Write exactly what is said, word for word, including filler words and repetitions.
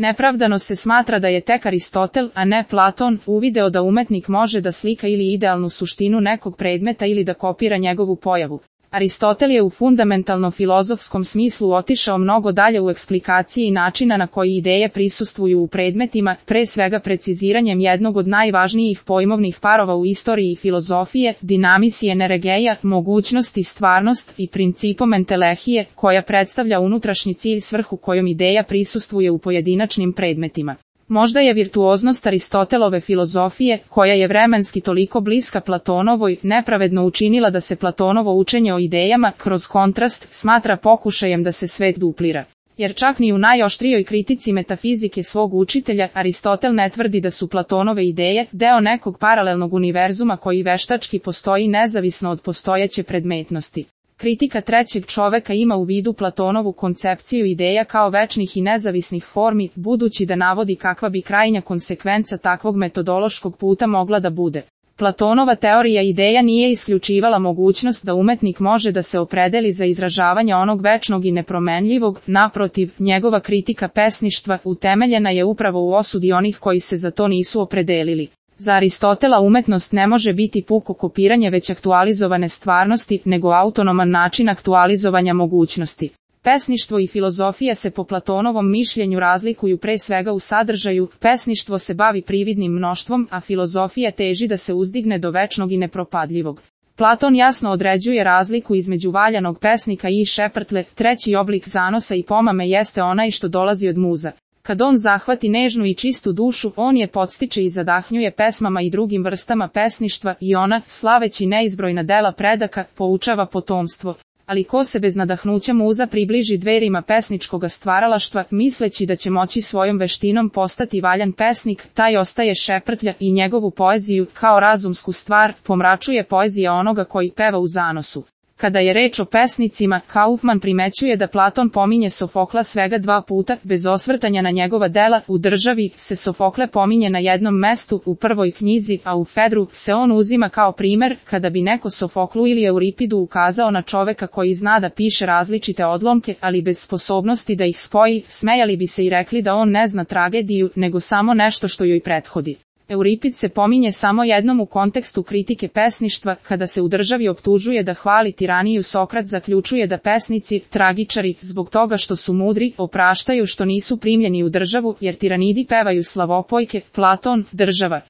Nepravdano se smatra da je tek Aristotel, a ne Platon, uvideo da umetnik može da slika ili idealnu suštinu nekog predmeta ili da kopira njegovu pojavu. Aristotel je u fundamentalno filozofskom smislu otišao mnogo dalje u eksplikaciji i načina na koji ideje prisustvuju u predmetima, pre svega preciziranjem jednog od najvažnijih pojmovnih parova u istoriji filozofije, dinamisije neregeja, mogućnosti, stvarnost i principom entelehije, koja predstavlja unutrašnji cilj svrhu kojom ideja prisustvuje u pojedinačnim predmetima. Možda je virtuoznost Aristotelove filozofije, koja je vremenski toliko bliska Platonovoj, nepravedno učinila da se Platonovo učenje o idejama, kroz kontrast, smatra pokušajem da se svet duplira. Jer čak ni u najoštrijoj kritici metafizike svog učitelja, Aristotel ne tvrdi da su Platonove ideje deo nekog paralelnog univerzuma koji veštački postoji nezavisno od postojeće predmetnosti. Kritika trećeg čoveka ima u vidu Platonovu koncepciju ideja kao večnih i nezavisnih formi, budući da navodi kakva bi krajnja konsekvenca takvog metodološkog puta mogla da bude. Platonova teorija ideja nije isključivala mogućnost da umetnik može da se opredeli za izražavanje onog večnog i nepromenljivog, naprotiv, njegova kritika pesništva utemeljena je upravo u osudi onih koji se za to nisu opredelili. Za Aristotela umetnost ne može biti puko kopiranje već aktualizovane stvarnosti, nego autonoman način aktualizovanja mogućnosti. Pesništvo i filozofija se po Platonovom mišljenju razlikuju pre svega u sadržaju, pesništvo se bavi prividnim mnoštvom, a filozofija teži da se uzdigne do večnog i nepropadljivog. Platon jasno određuje razliku između valjanog pesnika i šeprtle, treći oblik zanosa i pomame jeste onaj što dolazi od muza. Kad on zahvati nežnu i čistu dušu, on je podstiče i zadahnjuje pesmama i drugim vrstama pesništva i ona, slaveći neizbrojna dela predaka, poučava potomstvo. Ali ko se bez nadahnuća muza približi dverima pesničkoga stvaralaštva, misleći da će moći svojom veštinom postati valjan pesnik, taj ostaje šeprtlja i njegovu poeziju, kao razumsku stvar, pomračuje poezija onoga koji peva u zanosu. Kada je reč o pesnicima, Kaufman primećuje da Platon pominje Sofokla svega dva puta, bez osvrtanja na njegova dela. U Državi se Sofokle pominje na jednom mestu, u prvoj knjizi, a u Fedru se on uzima kao primer, kada bi neko Sofoklu ili Euripidu ukazao na čoveka koji zna da piše različite odlomke, ali bez sposobnosti da ih spoji, smejali bi se i rekli da on ne zna tragediju, nego samo nešto što joj prethodi. Euripid se pominje samo jednom u kontekstu kritike pesništva, kada se u Državi optužuje da hvali tiraniju. Sokrat zaključuje da pesnici, tragičari, zbog toga što su mudri, opraštaju što nisu primljeni u Državu, jer tiranidi pevaju slavopojke. Platon, Država.